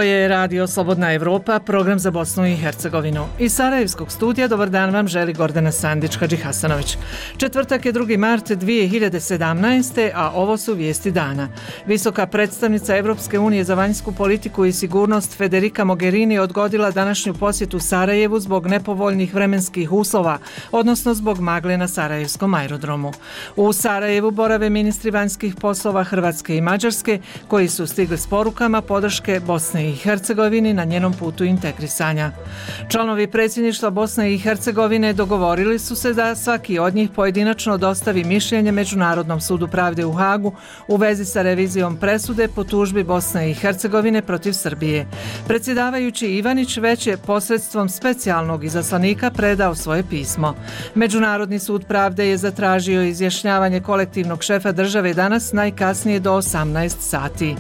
je Radio Slobodna Evropa, program za Bosnu i Hercegovinu. Iz Sarajevskog studija dobar dan vam želi Gordana Sandić-Hadži Hasanović. Četvrtak je 2. mart 2017. a ovo su vijesti dana. Visoka predstavnica Evropske unije za vanjsku politiku i sigurnost Federica Mogherini odgodila današnju posjetu Sarajevu zbog nepovoljnih vremenskih uslova, odnosno zbog magle na Sarajevskom aerodromu. U Sarajevu borave ministri vanjskih poslova Hrvatske i Mađarske, koji su stigli s porukama podrške Bosne i Hercegovini na njenom putu integrisanja. Članovi predsjedništva Bosne i Hercegovine dogovorili su se da svaki od njih pojedinačno dostavi mišljenje Međunarodnom sudu pravde u Hagu u vezi sa revizijom presude po tužbi Bosne i Hercegovine protiv Srbije. Predsjedavajući Ivanić već je posredstvom specijalnog izaslanika predao svoje pismo. Međunarodni sud pravde je zatražio izjašnjavanje kolektivnog šefa države danas najkasnije do 18 sati.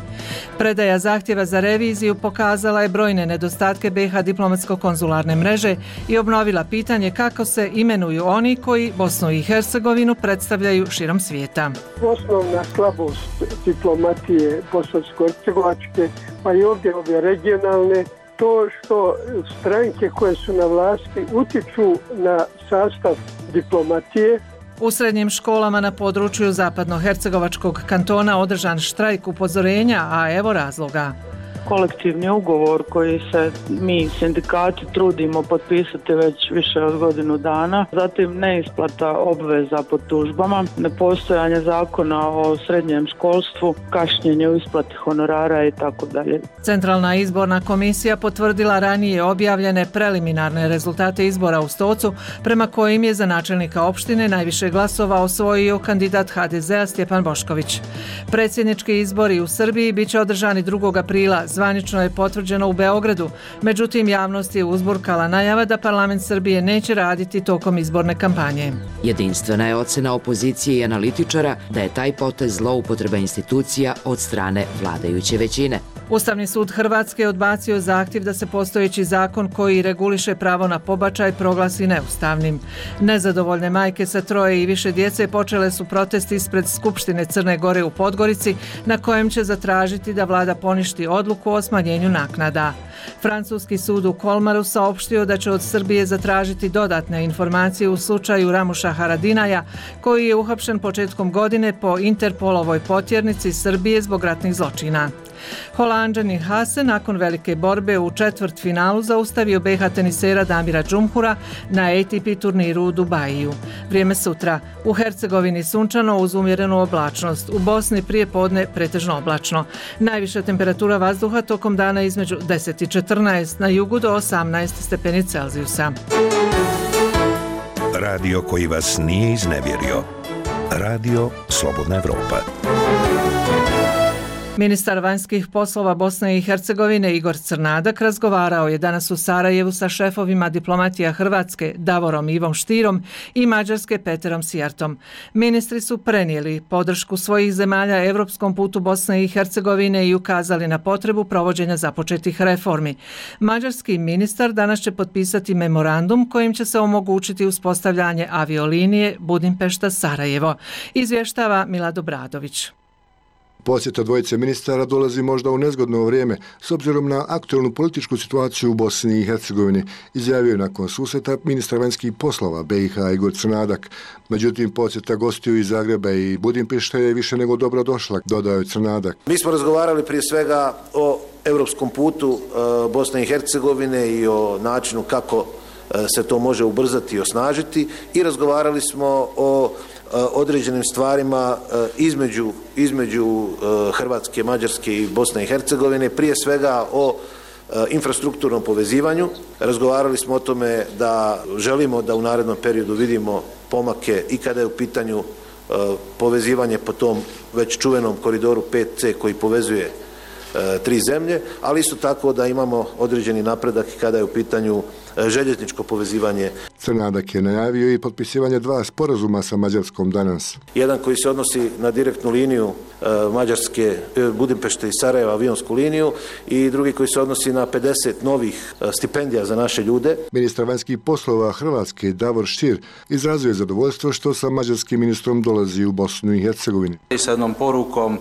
Predaja zahtjeva za reviziju pokazala je brojne nedostatke BiH diplomatsko-konzularne mreže i obnovila pitanje kako se imenuju oni koji Bosnu i Hercegovinu predstavljaju širom svijeta. Osnovna slabost diplomatije bosansko-hercegovačke, pa i ovdje ove regionalne, to što stranke koje su na vlasti utiču na sastav diplomatije. U srednjim školama na području zapadnohercegovačkog kantona održan štrajk upozorenja, a evo razloga. Kolektivni ugovor koji se mi sindikati trudimo potpisati već više od godinu dana, zatim neisplata obveza po tužbama, nepostojanje zakona o srednjem školstvu, kašnjenje u isplati honorara i tako dalje. Centralna izborna komisija potvrdila ranije objavljene preliminarne rezultate izbora u Stocu, prema kojim je za načelnika opštine najviše glasova osvojio kandidat HDZ-a Stjepan Bošković. Predsjednički izbori u Srbiji biće održani 2. aprila. Zvanično je potvrđeno u Beogradu, međutim javnost je uzburkala najava da parlament Srbije neće raditi tokom izborne kampanje. Jedinstvena je ocena opozicije i analitičara da je taj potez zloupotreba institucija od strane vladajuće većine. Ustavni sud Hrvatske odbacio zahtjev da se postojeći zakon koji reguliše pravo na pobačaj proglasi neustavnim. Nezadovoljne majke sa 3 i više djece počele su protest ispred Skupštine Crne Gore u Podgorici, na kojem će zatražiti da vlada poništi odluku o smanjenju naknada. Francuski sud u Kolmaru saopštio da će od Srbije zatražiti dodatne informacije u slučaju Ramuša Haradinaja, koji je uhapšen početkom godine po Interpolovoj potjernici Srbije zbog ratnih zločina. Holanđanin Hase nakon velike borbe u četvrtfinalu zaustavio BiH tenisera Damira Džumhura na ATP turniru u Dubaju. Vrijeme sutra. U Hercegovini sunčano uz umjerenu oblačnost. U Bosni prije podne pretežno oblačno. Najviša temperatura vazduha tokom dana između 10 i 14, na jugu do 18 stepeni Celzijusa. Radio koji vas nije iznevjerio. Radio Slobodna Evropa. Ministar vanjskih poslova Bosne i Hercegovine Igor Crnadak razgovarao je danas u Sarajevu sa šefovima diplomatija Hrvatske Davorom Ivom Štirom i Mađarske Peterom Sijartom. Ministri su prenijeli podršku svojih zemalja evropskom putu Bosne i Hercegovine i ukazali na potrebu provođenja započetih reformi. Mađarski ministar danas će potpisati memorandum kojim će se omogućiti uspostavljanje aviolinije Budimpešta-Sarajevo, izvještava Milad Obradović. Posjeta dvojice ministara dolazi možda u nezgodno vrijeme s obzirom na aktualnu političku situaciju u Bosni i Hercegovini, izjavio je nakon susreta ministar vanjskih poslova BiH Igor Crnadak. Međutim, posjeta gostiju iz Zagreba i Budimpešte je više nego dobro došla, dodao je Crnadak. Mi smo razgovarali prije svega o europskom putu Bosne i Hercegovine i o načinu kako se to može ubrzati i osnažiti i razgovarali smo o određenim stvarima između Hrvatske, Mađarske i Bosne i Hercegovine, prije svega o infrastrukturnom povezivanju. Razgovarali smo o tome da želimo da u narednom periodu vidimo pomake i kada je u pitanju povezivanje po tom već čuvenom koridoru 5C koji povezuje 3 zemlje, ali isto tako da imamo određeni napredak kada je u pitanju željezničko povezivanje. Crnadak je najavio i potpisivanje 2 sporazuma sa Mađarskom danas. Jedan koji se odnosi na direktnu liniju Mađarske, Budimpešte i Sarajeva, avionsku liniju, i drugi koji se odnosi na 50 novih stipendija za naše ljude. Ministar vanjskih poslova Hrvatske Davor Stier izrazio je zadovoljstvo što sa mađarskim ministrom dolazi u Bosnu i Hercegovini. I sa jednom porukom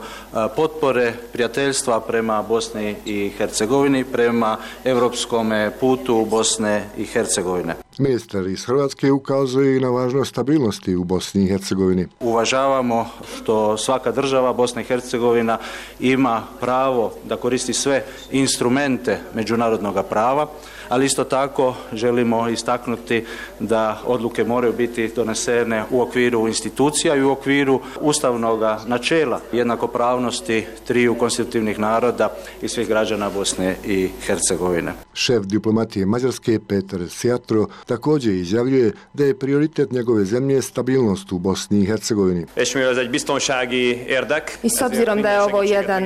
potpore, prijateljstva prema Bosni i Hercegovini, prema europskom putu Bosne i Hercegovine. Ministar iz Hrvatske ukazuje i na važnost stabilnosti u Bosni i Hercegovini. Uvažavamo što svaka država, Bosna i Hercegovina, ima pravo da koristi sve instrumente međunarodnog prava, ali isto tako želimo istaknuti da odluke moraju biti donesene u okviru institucija i u okviru ustavnog načela jednakopravnosti triju konstitutivnih naroda i svih građana Bosne i Hercegovine. Šef diplomatije Mađarske Petar Sjatro također izjavljuje da je prioritet njegove zemlje stabilnost u Bosni i Hercegovini. I s obzirom da je ovo jedan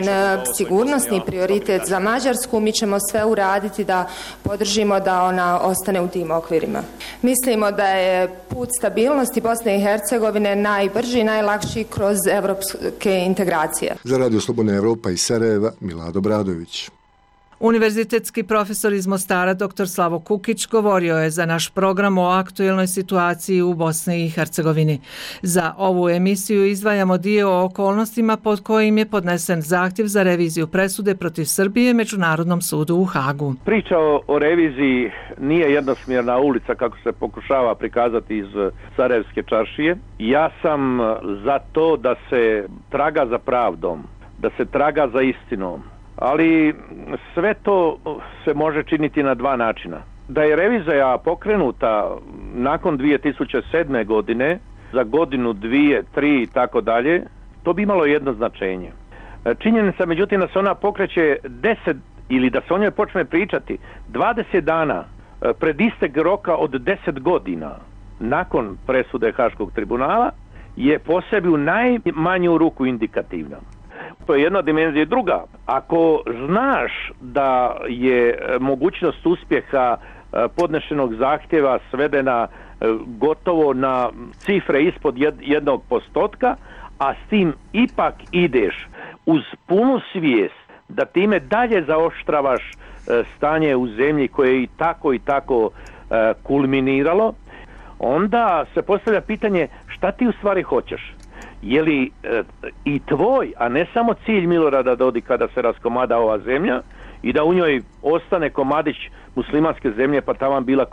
sigurnosni prioritet za Mađarsku, mi ćemo sve uraditi da podržimo da ona ostane u tim okvirima. Mislimo da je put stabilnosti Bosne i Hercegovine najbrži i najlakši kroz evropske integracije. Za Radio Slobodna Evropa iz Sarajeva, Milado Bradović. Univerzitetski profesor iz Mostara dr. Slavo Kukić govorio je za naš program o aktuelnoj situaciji u Bosni i Hercegovini. Za ovu emisiju izdvajamo dio o okolnostima pod kojim je podnesen zahtjev za reviziju presude protiv Srbije Međunarodnom sudu u Hagu. Priča o reviziji nije jednosmjerna ulica kako se pokušava prikazati iz Sarajevske čaršije. Ja sam za to da se traga za pravdom, da se traga za istinom. Ali sve to se može činiti na 2 načina. Da je revizija pokrenuta nakon 2007. godine, za godinu, 2, 3 i tako dalje, to bi imalo jedno značenje. Činjenica međutim da se ona pokreće 10 ili da se o njoj počne pričati 20 dana pred istek roka od 10 godina nakon presude Haškog tribunala je po sebi u najmanju ruku indikativna. To je jedna dimenzija. Druga, ako znaš da je mogućnost uspjeha podnešenog zahtjeva svedena gotovo na cifre ispod 1%, a s tim ipak ideš uz punu svijest da time dalje zaoštravaš stanje u zemlji koje je i tako kulminiralo, onda se postavlja pitanje šta ti u stvari hoćeš. Je li i tvoj, a ne samo cilj Milorada Dodika da se raskomada ova zemlja i da u njoj ostane komadić muslimanske zemlje pa taman bila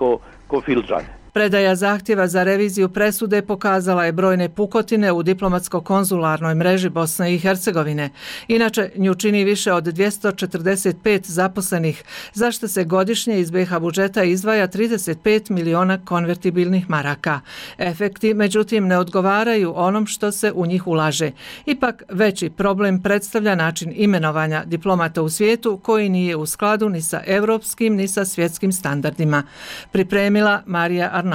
ko filđane. Predaja zahtjeva za reviziju presude pokazala je brojne pukotine u diplomatsko-konzularnoj mreži Bosne i Hercegovine. Inače, nju čini više od 245 zaposlenih, za što se godišnje iz BiH budžeta izdvaja 35 miliona konvertibilnih maraka. Efekti, međutim, ne odgovaraju onom što se u njih ulaže. Ipak, veći problem predstavlja način imenovanja diplomata u svijetu koji nije u skladu ni sa evropskim ni sa svjetskim standardima. Pripremila Marija Arnautović.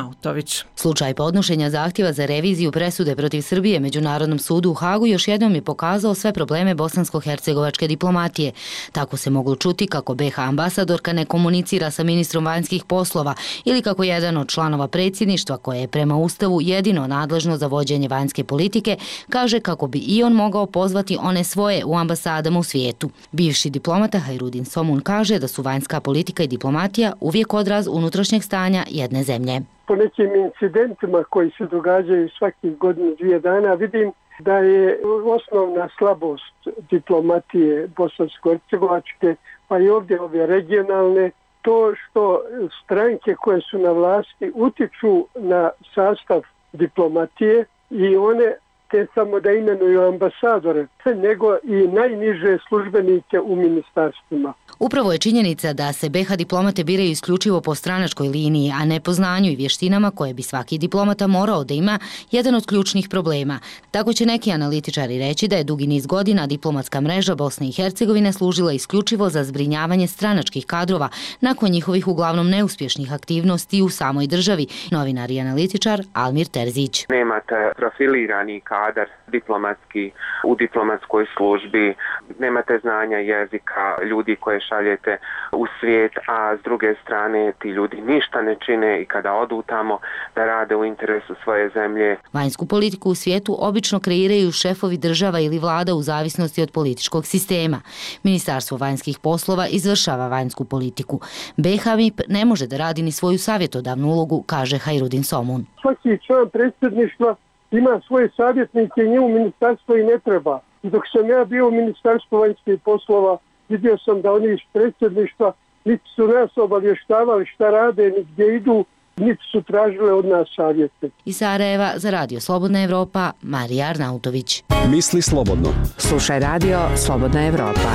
Slučaj podnošenja zahtjeva za reviziju presude protiv Srbije Međunarodnom sudu u Hagu još jednom je pokazao sve probleme bosansko-hercegovačke diplomatije. Tako se moglo čuti kako BiH ambasadorka ne komunicira sa ministrom vanjskih poslova ili kako jedan od članova predsjedništva, koje je prema Ustavu jedino nadležno za vođenje vanjske politike, kaže kako bi i on mogao pozvati one svoje u ambasadama u svijetu. Bivši diplomata Hajrudin Somun kaže da su vanjska politika i diplomatija uvijek odraz unutrašnjeg stanja jedne zemlje. Po nekim incidentima koji se događaju svakih godinu, 2 dana, vidim da je osnovna slabost diplomatije bosansko-hercegovačke, pa i ovdje ove regionalne, to što stranke koje su na vlasti utiču na sastav diplomatije i one te samo da imenuju ambasadore, nego i najniže službenike u ministarstvima. Upravo je činjenica da se BiH diplomate biraju isključivo po stranačkoj liniji, a ne po znanju i vještinama koje bi svaki diplomata morao da ima, jedan od ključnih problema. Tako će neki analitičari reći da je dugi niz godina diplomatska mreža Bosne i Hercegovine služila isključivo za zbrinjavanje stranačkih kadrova nakon njihovih uglavnom neuspješnih aktivnosti u samoj državi. Novinar i analitičar Almir Terzić. Nemate profilirani kadar kadar diplomatski u diplomatskoj službi, nemate znanja jezika ljudi koje šaljete u svijet, a s druge strane ti ljudi ništa ne čine i kada odu tamo da rade u interesu svoje zemlje. Vanjsku politiku u svijetu obično kreiraju šefovi država ili vlada u zavisnosti od političkog sistema. Ministarstvo vanjskih poslova izvršava vanjsku politiku. BiH MIP ne može da radi ni svoju savjetodavnu ulogu, kaže Hajrudin Somun. Svaki član predsjedništva ima svoje savjetnike i njemu ministarstvo i ne treba. I dok sam ja bio u Ministarstvu vanjskih poslova, vidio sam da oni iz predsjedništva niti su nas obavještavali šta rade, ni gdje idu, niti su tražile od nas savjete. Iz Sarajeva za Radio Slobodna Evropa, Marija Arnautović. Misli slobodno. Slušaj Radio Slobodna Evropa.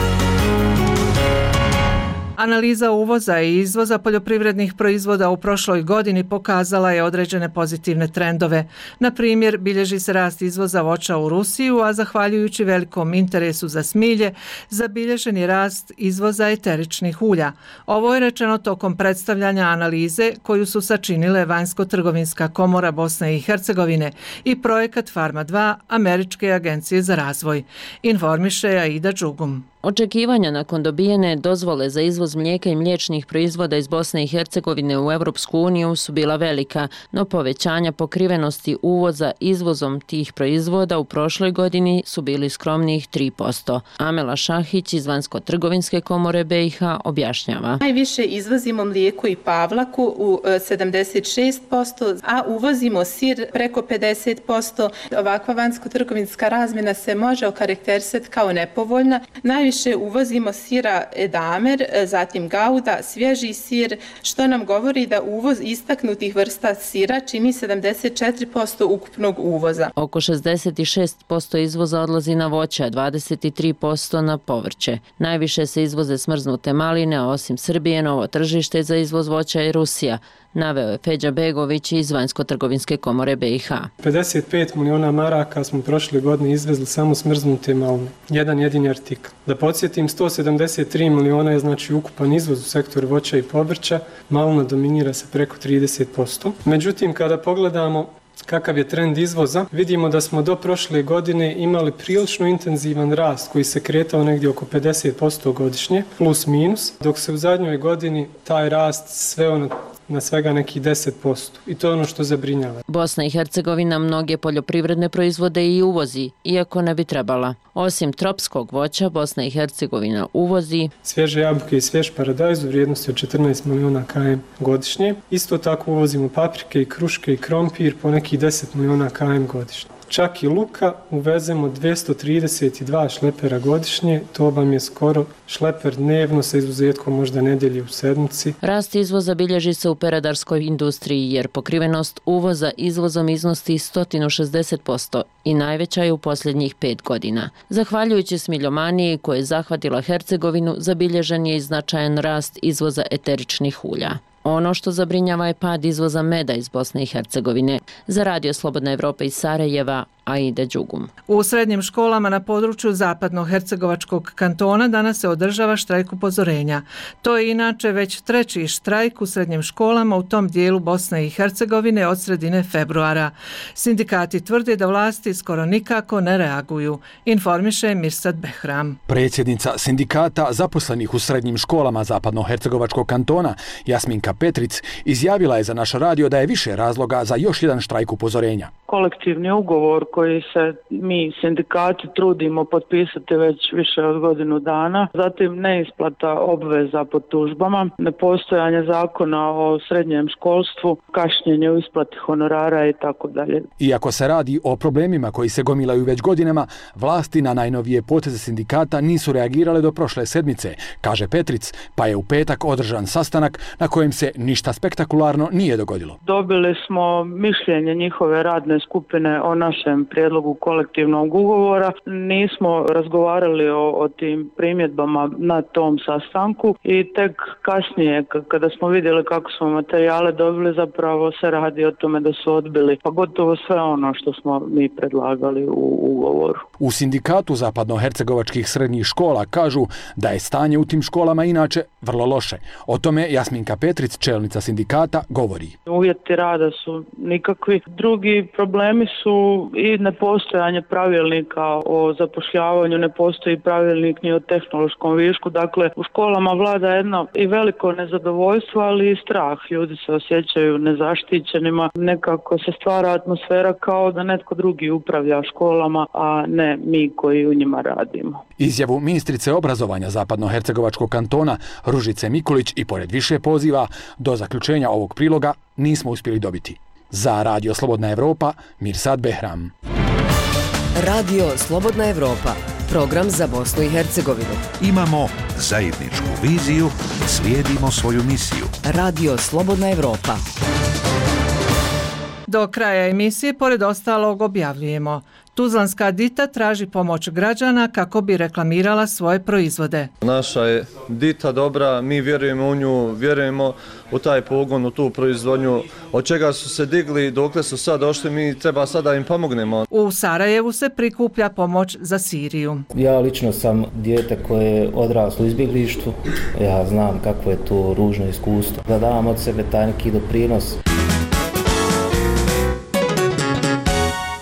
Analiza uvoza i izvoza poljoprivrednih proizvoda u prošloj godini pokazala je određene pozitivne trendove. Na primjer, bilježi se rast izvoza voća u Rusiju, a zahvaljujući velikom interesu za smilje, zabilježen je rast izvoza eteričnih ulja. Ovo je rečeno tokom predstavljanja analize koju su sačinile Vanjsko-trgovinska komora Bosne i Hercegovine i projekat Farma 2 Američke agencije za razvoj. Informiše Aida Đugum. Očekivanja nakon dobijene dozvole za izvoz mlijeka i mliječnih proizvoda iz Bosne i Hercegovine u Europsku uniju su bila velika, no povećanja pokrivenosti uvoza izvozom tih proizvoda u prošloj godini su bili skromnijih 3%. Amela Šahić iz Vanjsko-trgovinske komore BiH objašnjava. Najviše izvozimo mlijeko i pavlaku u 76%, a uvozimo sir preko 50%. Ovakva vanjsko-trgovinska razmjena se može okarakterisati kao nepovoljna. Najviše uvozimo sira edamer, zatim gauda, svježi sir, što nam govori da uvoz istaknutih vrsta sira čini 74% ukupnog uvoza. Oko 66% izvoza odlazi na voće, a 23% na povrće. Najviše se izvoze smrznute maline, a osim Srbije, novo tržište za izvoz voća je Rusija, naveo je Feđa Begović iz Vanjsko-trgovinske komore BiH. 55 miliona maraka smo prošle godine izvezli samo smrznute maline, jedan jedini artikl. Da podsjetim, 173 miliona je znači ukupan izvoz u sektoru voća i povrća, malina dominira se preko 30%. Međutim, kada pogledamo kakav je trend izvoza, vidimo da smo do prošle godine imali prilično intenzivan rast koji se kretao negdje oko 50% godišnje, plus minus, dok se u zadnjoj godini taj rast sveo na svega nekih 10%. I to je ono što zabrinjava. Bosna i Hercegovina mnoge poljoprivredne proizvode i uvozi, iako ne bi trebala. Osim tropskog voća, Bosna i Hercegovina uvozi svježe jabuke i svjež paradajz u vrijednosti od 14 miliona km godišnje. Isto tako uvozimo paprike i kruške i krompir po nekih 10 miliona km godišnje. Čak i luka uvezemo 232 šlepera godišnje, to vam je skoro šleper dnevno sa izuzetkom možda nedelje u sedmici. Rast izvoza bilježi se u peradarskoj industriji jer pokrivenost uvoza izvozom iznosi 160% i najveća je u posljednjih 5 godina. Zahvaljujući smiljomaniji koje je zahvatila Hercegovinu, zabilježen je i značajan rast izvoza eteričnih ulja. Ono što zabrinjava je pad izvoza meda iz Bosne i Hercegovine. Za Radio Slobodna Evropa iz Sarajeva, Aida Đugum. U srednjim školama na području zapadno-hercegovačkog kantona danas se održava štrajk upozorenja. To je inače već treći štrajk u srednjim školama u tom dijelu Bosne i Hercegovine od sredine februara. Sindikati tvrde da vlasti skoro nikako ne reaguju, informiše Mirsad Behram. Predsjednica sindikata zaposlenih u srednjim školama zapadno-hercegovačkog kantona, Jasminka Petric, izjavila je za naš radio da je više razloga za još jedan štrajk upozorenja. Kolektivni ugovor koji se mi sindikati trudimo potpisati već više od godinu dana, zatim neisplata obveza po tužbama, nepostojanje zakona o srednjem školstvu, kašnjenje u isplati honorara i tako dalje. Iako se radi o problemima koji se gomilaju već godinama, vlasti na najnovije poteze sindikata nisu reagirale do prošle sedmice, kaže Petric, pa je u petak održan sastanak na kojem se ništa spektakularno nije dogodilo. Dobili smo mišljenje njihove radne skupine o našem prijedlogu kolektivnog ugovora. Nismo razgovarali o tim primjedbama na tom sastanku i tek kasnije kada smo vidjeli kako smo materijale dobili, zapravo se radi o tome da su odbili pa gotovo sve ono što smo mi predlagali u ugovoru. U sindikatu zapadnohercegovačkih srednjih škola kažu da je stanje u tim školama inače vrlo loše. O tome Jasminka Petric, čelnica sindikata, govori. Uvjeti rada su nikakvi. Drugi problem problemi su i nepostojanje pravilnika o zapošljavanju, ne postoji pravilnik ni o tehnološkom višku, dakle u školama vlada jedno i veliko nezadovoljstvo, ali i strah. Ljudi se osjećaju nezaštićenima, nekako se stvara atmosfera kao da netko drugi upravlja školama, a ne mi koji u njima radimo. Izjavu ministrice obrazovanja Zapadnohercegovačkog kantona Ružice Mikulić i pored više poziva do zaključenja ovog priloga nismo uspjeli dobiti. Za Radio Slobodna Evropa, Mirsad Behram. Radio Slobodna Evropa, program za Bosnu i Hercegovinu. Imamo zajedničku viziju, slijedimo svoju misiju. Radio Slobodna Evropa. Do kraja emisije, pored ostalog, objavljujemo: Tuzlanska Dita traži pomoć građana kako bi reklamirala svoje proizvode. Naša je Dita dobra, mi vjerujemo u nju, vjerujemo u taj pogon, u tu proizvodnju, od čega su se digli, dokle su sad došli, mi treba sada im pomognemo. U Sarajevu se prikuplja pomoć za Siriju. Ja lično sam dijete koje je odraslo u izbjeglištvu, ja znam kako je to ružno iskustvo, da dam od sebe taj neki doprinos.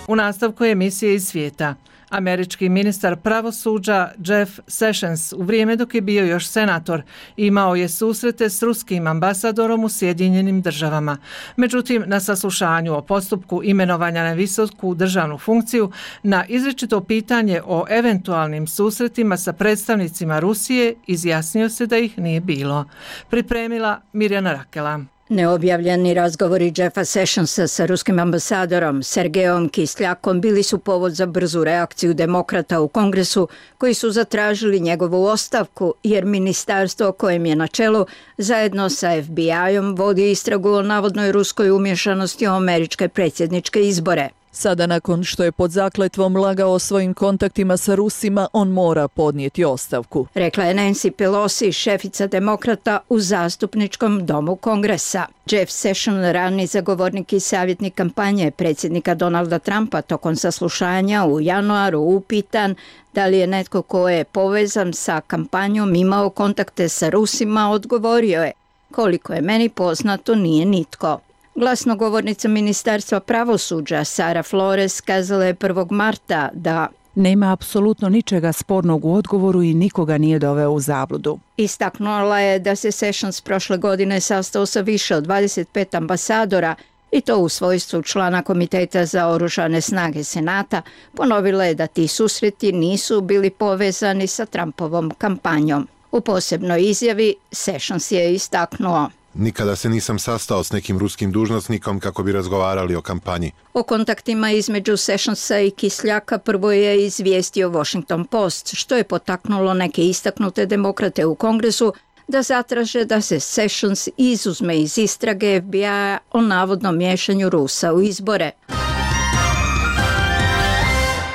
U nastavku emisije iz svijeta. Američki ministar pravosuđa Jeff Sessions u vrijeme dok je bio još senator imao je susrete s ruskim ambasadorom u Sjedinjenim državama. Međutim, na saslušanju o postupku imenovanja na visoku državnu funkciju na izričito pitanje o eventualnim susretima sa predstavnicima Rusije izjasnio se da ih nije bilo. Pripremila Mirjana Rakela. Neobjavljeni razgovori Jeffa Sessionsa sa ruskim ambasadorom Sergejom Kisljakom bili su povod za brzu reakciju demokrata u Kongresu koji su zatražili njegovu ostavku jer ministarstvo kojem je na čelu zajedno sa FBI-om vodi istragu o navodnoj ruskoj umješanosti u američke predsjedničke izbore. Sada nakon što je pod zakletvom lagao o svojim kontaktima sa Rusima, on mora podnijeti ostavku. Rekla je Nancy Pelosi, šefica demokrata u zastupničkom domu Kongresa. Jeff Sessions, rani zagovornik i savjetnik kampanje predsjednika Donalda Trumpa, tokom saslušanja u januaru upitan da li je netko ko je povezan sa kampanjom imao kontakte sa Rusima, odgovorio je: koliko je meni poznato, nije nitko. Glasnogovornica Ministarstva pravosuđa Sara Flores kazala je 1. marta da nema apsolutno ničega spornog u odgovoru i nikoga nije doveo u zabludu. Istaknula je da se Sessions prošle godine sastao sa više od 25 ambasadora i to u svojstvu člana Komiteta za oružane snage Senata. Ponovila je da ti susreti nisu bili povezani sa Trumpovom kampanjom. U posebnoj izjavi Sessions je istaknuo: nikada se nisam sastao s nekim ruskim dužnosnikom kako bi razgovarali o kampanji. O kontaktima između Sessionsa i Kisljaka prvo je izvijestio Washington Post, što je potaknulo neke istaknute demokrate u Kongresu da zatraže da se Sessions izuzme iz istrage FBI-a o navodnom miješanju Rusa u izbore.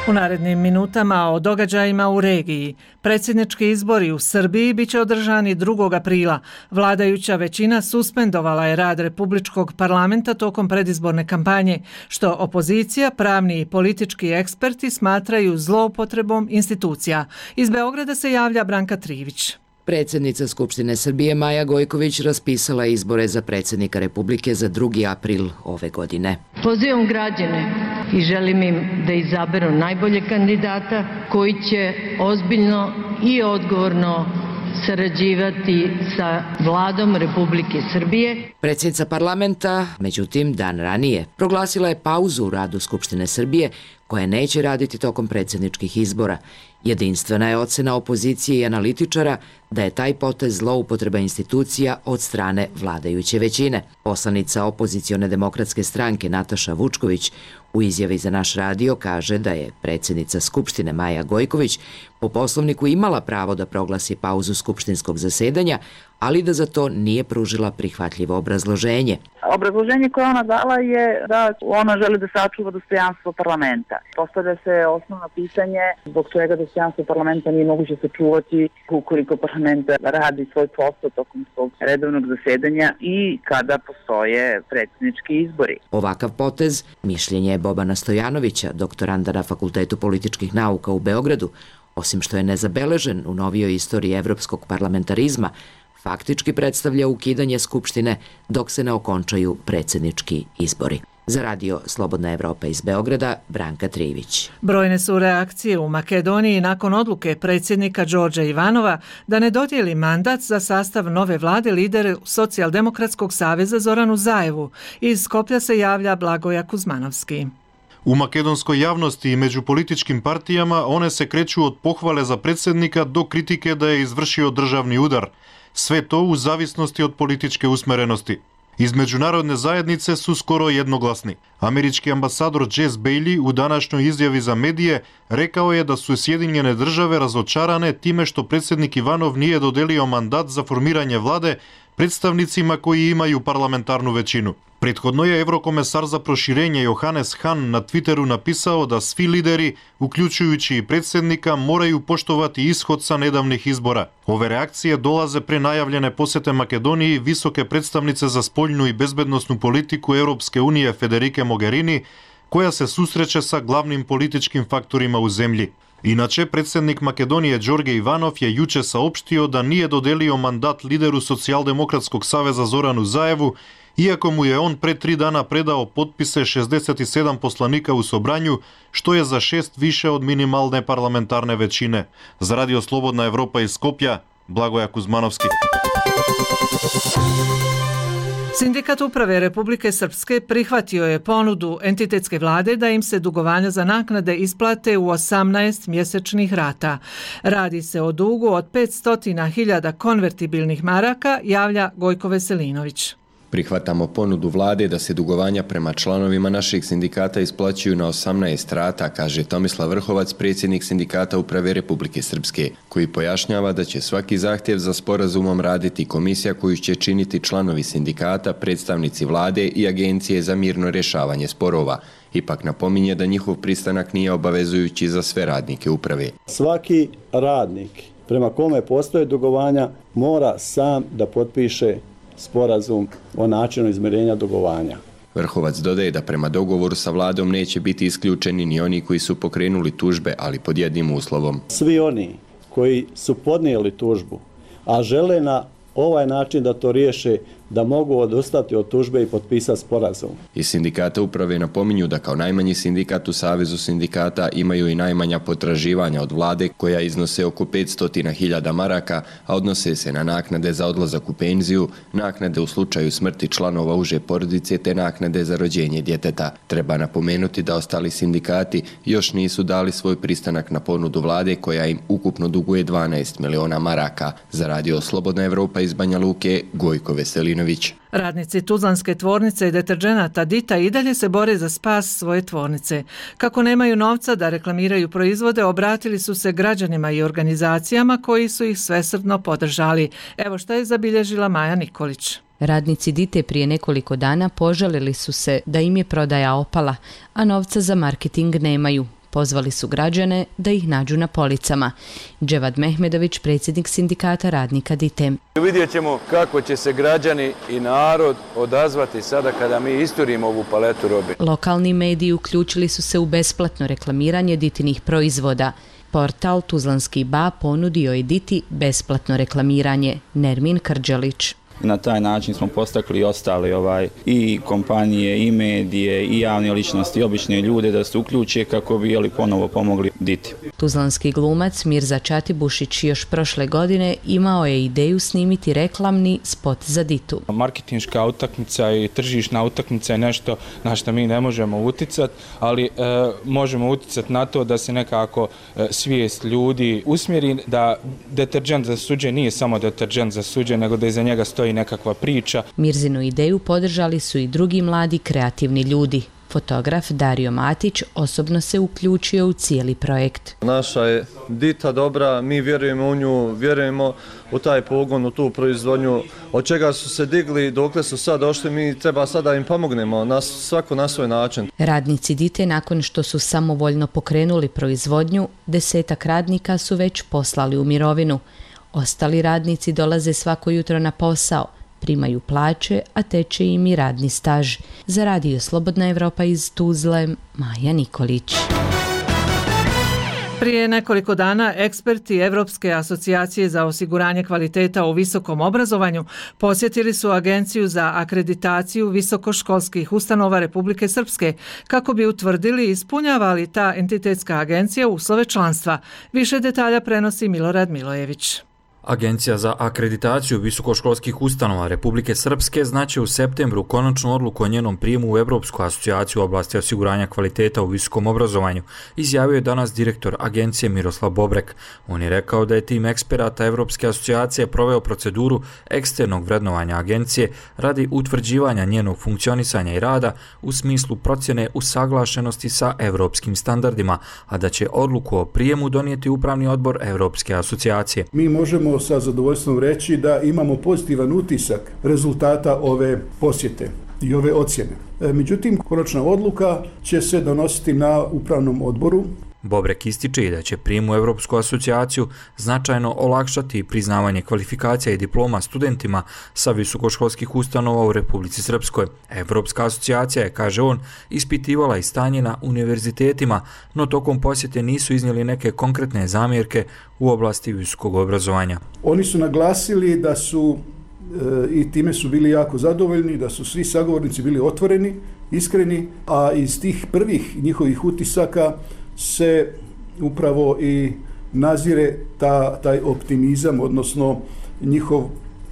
U narednim minutama o događajima u regiji. Predsjednički izbori u Srbiji biće održani 2. aprila. Vladajuća većina suspendovala je rad Republičkog parlamenta tokom predizborne kampanje, što opozicija, pravni i politički eksperti smatraju zloupotrebom institucija. Iz Beograda se javlja Branka Trivić. Predsjednica Skupštine Srbije Maja Gojković raspisala izbore za predsjednika Republike za 2. april ove godine. Pozivam građane i želim im da izaberu najbolje kandidata koji će ozbiljno i odgovorno sarađivati sa Vladom Republike Srbije. Predsjednica parlamenta, međutim, dan ranije proglasila je pauzu u radu Skupštine Srbije koja neće raditi tokom predsjedničkih izbora. Jedinstvena je ocena opozicije i analitičara da je taj potez zloupotreba institucija od strane vladajuće većine. Poslanica opozicione demokratske stranke Nataša Vučković u izjavi za naš radio kaže da je predsjednica Skupštine Maja Gojković po poslovniku imala pravo da proglasi pauzu skupštinskog zasedanja, ali da za to nije pružila prihvatljivo obrazloženje. Obrazloženje koje ona dala je da ona želi da sačuva dostojanstvo parlamenta. Postavlja se osnovno pitanje zbog čega dostojanstvo parlamenta nije moguće sačuvati ukoliko parlament radi svoj posao tokom svog redovnog zasedanja i kada postoje predsjednički izbori. Ovakav potez, mišljenje je Bobana Stojanovića, doktoranda na Fakultetu političkih nauka u Beogradu, osim što je nezabeležen u novijoj istoriji evropskog parlamentarizma, faktički predstavlja ukidanje Skupštine dok se ne okončaju predsjednički izbori. Za radio Slobodna Evropa iz Beograda, Branka Trivić. Brojne su reakcije u Makedoniji nakon odluke predsjednika Đorđa Ivanova da ne dodijeli mandat za sastav nove vlade lideru Socijaldemokratskog saveza Zoranu Zaevu. Iz Skoplja se javlja Blagoja Kuzmanovski. U makedonskoj javnosti i među političkim partijama one se kreću od pohvale za predsjednika do kritike da je izvršio državni udar. Sve to u zavisnosti od političke usmerenosti. Iz međunarodne zajednice su skoro jednoglasni. Američki ambasador Jess Bailey u današnjoj izjavi za medije rekao je da su Sjedinjene države razočarane time što predsjednik Ivanov nije dodelio mandat za formiranje vlade predstavnicima koji imaju parlamentarnu većinu. Prethodno je Evrokomesar za proširenje Johannes Hahn na Twitteru napisao da svi lideri, uključujući i predsjednika, moraju poštovati ishod sa nedavnih izbora. Ove reakcije dolaze pre najavljene posete Makedoniji visoke predstavnice za spoljnu i bezbednosnu politiku Europske unije Federike Mogherini, koja se susreće sa glavnim političkim faktorima u zemlji. Inače, predsjednik Makedonije Đorđe Ivanov je juče saopštio da nije dodelio mandat lideru Socijaldemokratskog saveza Zoranu Zaevu, iako mu je on pre 3 dana predao potpise 67 poslanika u Sobranju, što je za 6 više od minimalne parlamentarne većine. Za radio Slobodna Evropa iz Skopja, Blagoja Kuzmanovski. Sindikat uprave Republike Srpske prihvatio je ponudu entitetske vlade da im se dugovanja za naknade isplate u 18 mjesečnih rata. Radi se o dugu od 500.000 konvertibilnih maraka, javlja Gojko Veselinović. Prihvatamo ponudu vlade da se dugovanja prema članovima našeg sindikata isplaćuju na 18 rata, kaže Tomislav Vrhovac, predsjednik sindikata uprave Republike Srpske, koji pojašnjava da će svaki zahtjev za sporazumom raditi komisija koju će činiti članovi sindikata, predstavnici vlade i agencije za mirno rješavanje sporova. Ipak napominje da njihov pristanak nije obavezujući za sve radnike uprave. Svaki radnik prema kome postoje dugovanja mora sam da potpiše sporazum o načinu izmirenja dugovanja. Vrhovac dodaje da prema dogovoru sa vladom neće biti isključeni ni oni koji su pokrenuli tužbe, ali pod jednim uslovom. Svi oni koji su podnijeli tužbu, a žele na ovaj način da to riješe, da mogu odustati od tužbe i potpisati sporazum. Iz sindikata uprave napominju da kao najmanji sindikat u Savezu sindikata imaju i najmanja potraživanja od vlade, koja iznose oko 500.000 maraka, a odnose se na naknade za odlazak u penziju, naknade u slučaju smrti članova uže porodice te naknade za rođenje djeteta. Treba napomenuti da ostali sindikati još nisu dali svoj pristanak na ponudu vlade, koja im ukupno duguje 12 miliona maraka. Za radio Slobodna Evropa iz Banja Luke, Gojko Veselinović. Radnici Tuzlanske tvornice i deterdženata Dita i dalje se bore za spas svoje tvornice. Kako nemaju novca da reklamiraju proizvode, obratili su se građanima i organizacijama koji su ih svesrdno podržali. Evo šta je zabilježila Maja Nikolić. Radnici Dite prije nekoliko dana požalili su se da im je prodaja opala, a novca za marketing nemaju. Pozvali su građane da ih nađu na policama. Dževad Mehmedović, predsjednik sindikata radnika Dite. Vidjet ćemo kako će se građani i narod odazvati sada kada mi isturimo ovu paletu robe. Lokalni mediji uključili su se u besplatno reklamiranje Ditinih proizvoda. Portal Tuzlanski Ba ponudio je Diti besplatno reklamiranje. Nermin Krđelić. Na taj način smo postakli i ostale i kompanije, i medije, i javne ličnosti, i obične ljude da se uključe kako bi ponovo pomogli Diti. Tuzlanski glumac Mirza Čatibušić još prošle godine imao je ideju snimiti reklamni spot za Ditu. Marketinška utakmica i tržišna utakmica je nešto na što mi ne možemo uticati, ali možemo uticati na to da se nekako svijest ljudi usmjeri, da deterdžent za suđe nije samo deterdžent za suđe, nego da iza njega stoji nekakva priča. Mirzinu ideju podržali su i drugi mladi kreativni ljudi. Fotograf Dario Matić osobno se uključio u cijeli projekt. Naša je Dita dobra, mi vjerujemo u nju, vjerujemo u taj pogon, u tu proizvodnju, od čega su se digli, dokle su sad došli, mi treba sada im pomognemo, svako na svoj način. Radnici Dite, nakon što su samovoljno pokrenuli proizvodnju, 10 radnika su već poslali u mirovinu. Ostali radnici dolaze svako jutro na posao, primaju plaće, a teče im i radni staž. Za radio Slobodna Evropa iz Tuzle, Maja Nikolić. Prije nekoliko dana eksperti Evropske asocijacije za osiguranje kvaliteta u visokom obrazovanju posjetili su Agenciju za akreditaciju visokoškolskih ustanova Republike Srpske kako bi utvrdili ispunjava li ta entitetska agencija uslove članstva. Više detalja prenosi Milorad Milojević. Agencija za akreditaciju visokoškolskih ustanova Republike Srpske znaće u septembru konačnu odluku o njenom prijemu u Evropsku asocijaciju u oblasti osiguranja kvaliteta u visokom obrazovanju, izjavio je danas direktor agencije Miroslav Bobrek. On je rekao da je tim eksperata Evropske asocijacije proveo proceduru eksternog vrednovanja agencije radi utvrđivanja njenog funkcionisanja i rada u smislu procjene usaglašenosti sa evropskim standardima, a da će odluku o prijemu donijeti upravni odbor Evropske asocijacije. Mi možemo sa zadovoljstvom reći da imamo pozitivan utisak rezultata ove posjete i ove ocjene. Međutim, konačna odluka će se donositi na upravnom odboru. Bobrek ističe i da će prijem u Evropsku asocijaciju značajno olakšati priznavanje kvalifikacija i diploma studentima sa visokoškolskih ustanova u Republici Srpskoj. Evropska asocijacija je, kaže on, ispitivala i stanje na univerzitetima, no tokom posjete nisu iznijeli neke konkretne zamjerke u oblasti visokog obrazovanja. Oni su naglasili da su i time su bili jako zadovoljni, da su svi sagovornici bili otvoreni, iskreni, a iz tih prvih njihovih utisaka se upravo i nazire taj optimizam, odnosno njihov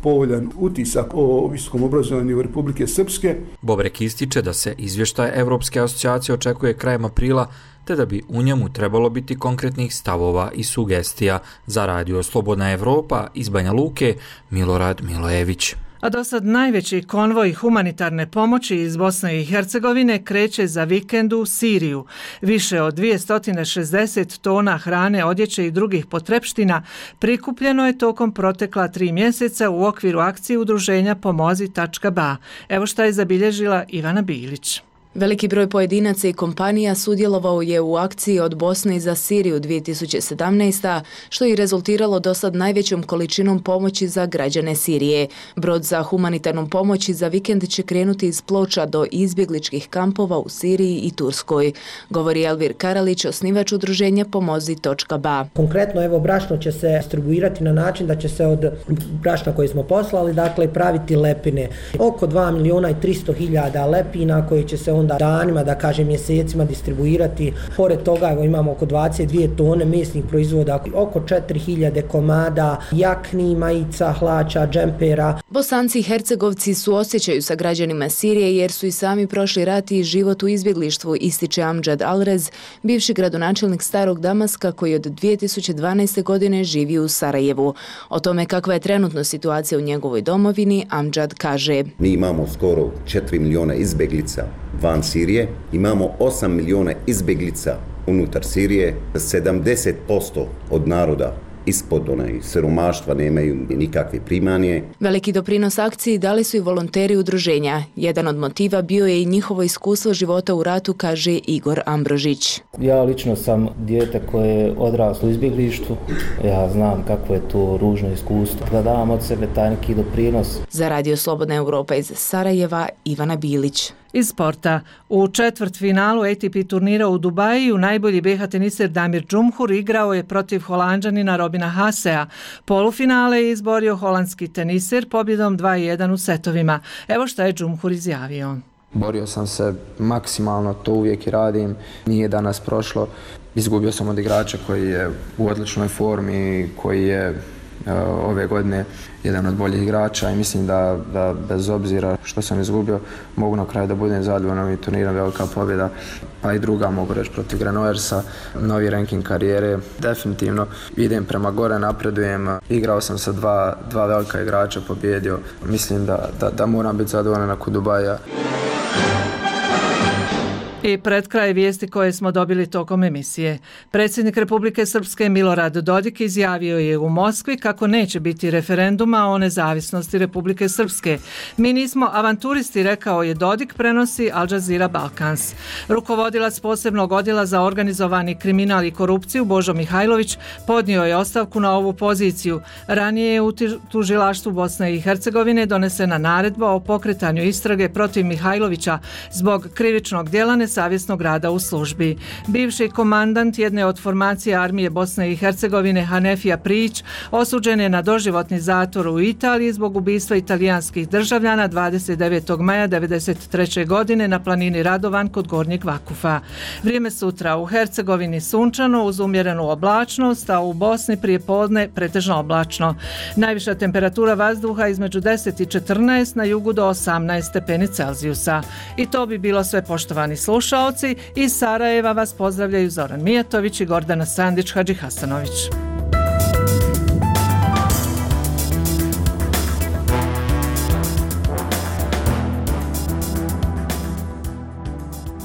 povoljan utisak o visokom obrazovanju Republike Srpske. Bobrek ističe da se izvještaj Evropske asocijacije očekuje krajem aprila, te da bi u njemu trebalo biti konkretnih stavova i sugestija. Za Radio Slobodna Evropa iz Banja Luke, Milorad Milojević. A do sad najveći konvoj humanitarne pomoći iz Bosne i Hercegovine kreće za vikend u Siriju. Više od 260 tona hrane, odjeće i drugih potrepština prikupljeno je tokom protekla 3 mjeseca u okviru akcije udruženja Pomozi.ba. Evo šta je zabilježila Ivana Bilić. Veliki broj pojedinaca i kompanija sudjelovao je u akciji od Bosne za Siriju 2017. što je rezultiralo dosad najvećom količinom pomoći za građane Sirije. Brod za humanitarnom pomoći za vikend će krenuti iz Ploča do izbjegličkih kampova u Siriji i Turskoj, govori Elvir Karalić, osnivač udruženja Pomozi.ba. Konkretno, evo, brašno će se distribuirati na način da će se od brašna koje smo poslali, dakle, praviti lepine. Oko 2.300.000 lepina koje će se onda danima, da kažem mjesecima distribuirati. Pored toga imamo oko 22 tone mesnih proizvoda, oko 4.000 komada jakni, majica, hlača, džempera. Bosanci i Hercegovci suosjećaju sa građanima Sirije jer su i sami prošli rat i život u izbjeglištvu, ističe Amdžad Alrez, bivši gradonačelnik Starog Damaska koji od 2012. godine živi u Sarajevu. O tome kakva je trenutno situacija u njegovoj domovini, Amdžad kaže: Mi imamo skoro 4 miliona izbjeglica van Sirije, imamo 8 miliona izbjeglica unutar Sirije, 70% od naroda ispod siromaštva nemaju nikakve primanje. Veliki doprinos akciji dali su i volonteri udruženja. Jedan od motiva bio je i njihovo iskustvo života u ratu, kaže Igor Ambrožić. Ja lično sam dijete koje je odraslo u izbjeglištvu. Ja znam kako je to ružno iskustvo. Da dam od sebe taj neki doprinos. Za Radio Slobodna Evropa iz Sarajeva, Ivana Bilić. Iz sporta. U četvrtfinalu ATP turnira u Dubaju najbolji BiH teniser Damir Džumhur igrao je protiv Holanđanina Robina Haasea. Polufinale je izborio holandski teniser pobjedom 2-1 u setovima. Evo šta je Džumhur izjavio. Borio sam se maksimalno, to uvijek i radim. Nije danas prošlo. Izgubio sam od igrača koji je u odličnoj formi, koji je ove godine jedan od boljih igrača i mislim da bez obzira što sam izgubio mogu na kraju da budem zadovoljan ovim turnirom, velika pobjeda, pa i druga mogu reći protiv Granoversa, novi ranking karijere, definitivno idem prema gore, napredujem, igrao sam sa dva velika igrača, pobjedio, mislim da moram biti zadovoljan nakon Dubaja. I pred kraj vijesti koje smo dobili tokom emisije. Predsjednik Republike Srpske Milorad Dodik izjavio je u Moskvi kako neće biti referenduma o nezavisnosti Republike Srpske. Mi nismo avanturisti, rekao je Dodik, prenosi Al Jazeera Balkans. Rukovodilac posebnog odjela za organizovani kriminal i korupciju Božo Mihajlović podnio je ostavku na ovu poziciju. Ranije je u tužilaštvu Bosne i Hercegovine donesena naredba o pokretanju istrage protiv Mihajlovića zbog krivičnog djela godine savjesnog rada u službi. Bivši komandant jedne od formacija armije Bosne i Hercegovine Hanefija Prić osuđen je na doživotni zatvor u Italiji zbog ubistva italijanskih državljana 29. maja 1993. godine na planini Radovan kod Gornjeg Vakufa. Vrijeme sutra u Hercegovini sunčano uz umjerenu oblačnost, a u Bosni prije podne pretežno oblačno. Najviša temperatura vazduha između 10 i 14, na jugu do 18 stepeni Celzijusa. I to bi bilo sve, poštovani slušaoci. Iz Sarajeva vas pozdravljaju Zoran Mijatović i Gordana Sandić-Hadžihasanović.